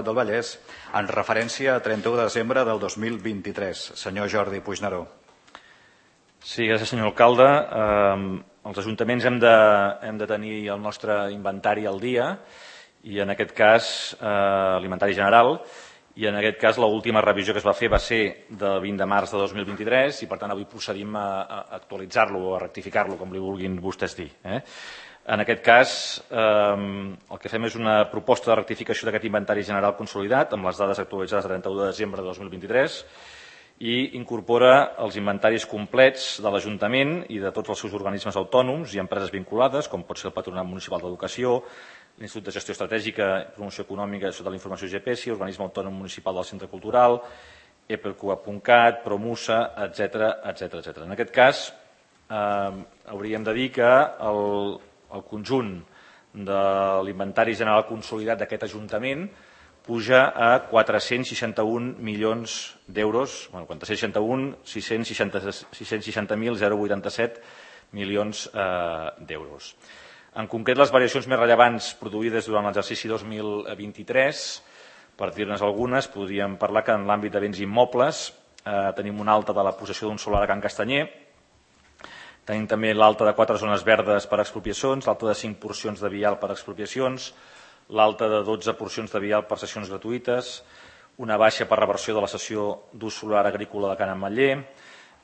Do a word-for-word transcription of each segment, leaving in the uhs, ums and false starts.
del Vallès en referència a trenta-u de desembre del dos mil vint-i-tres. Senyor Jordi Puigneró. Sí, gràcies, senyor alcalde. Eh, els ajuntaments hem de, hem de tenir el nostre inventari al dia i en aquest cas eh, l'inventari general i en aquest cas l'última revisió que es va fer va ser del vint de març de dos mil vint-i-tres i per tant avui procedim a, a actualitzar-lo o a rectificar-lo, com li vulguin vostès dir. Eh? En aquest cas, eh, el que fem és una proposta de rectificació d'aquest inventari general consolidat amb les dades actualitzades a trenta-u de desembre de dos mil vint-i-tres i incorpora els inventaris complets de l'Ajuntament i de tots els seus organismes autònoms i empreses vinculades, com pot ser el Patronat Municipal d'Educació, l'Institut de Gestió Estratègica i Promoció Econòmica sota la informació G P E S I, l'Organisme Autònom Municipal del Centre Cultural, E P Q A punt cat, Promusa, etcètera, etcètera, etcètera. En aquest cas, eh, hauríem de dir que el, el conjunt de l'inventari general consolidat d'aquest Ajuntament puja a quatre-cents seixanta-un milions d'euros, bueno, quatre-cents seixanta-un, sis-cents seixanta mil vuitanta-set milions eh, d'euros. En concret, les variacions més rellevants produïdes durant l'exercici dos mil vint-i-tres, per dir-ne algunes, podríem parlar que en l'àmbit de béns immobles eh, tenim una alta de la possessió d'un solar a Can Castanyer, tenim també l'alta de quatre zones verdes per expropiacions, l'alta de cinc porcions de vial per expropiacions, l'alta de dotze porcions de vial per cessions gratuïtes, una baixa per reversió de la cessió d'ús solar agrícola de Can Ametller,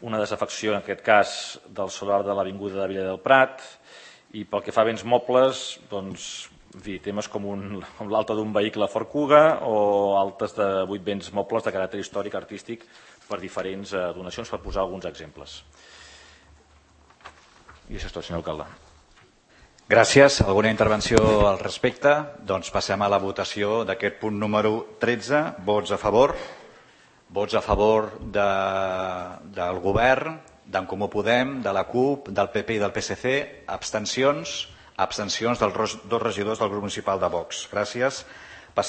una desafecció, en aquest cas, del solar de l'Avinguda de Villa del Prat, i pel que fa a béns mobles, doncs, en fi, temes com, un, com l'alta d'un vehicle Ford Kuga o altes de vuit béns mobles de caràcter històric, artístic, per diferents eh, donacions, per posar alguns exemples. I això és tot, senyor alcalde. Gràcies. Alguna intervenció al respecte? Doncs passem a la votació d'aquest punt número tretze. Vots a favor? Vots a favor de, del govern, d'en Comú Podem, de la CUP, del P P i del P S C. Abstencions? Abstencions dels dos regidors del grup municipal de Vox. Gràcies.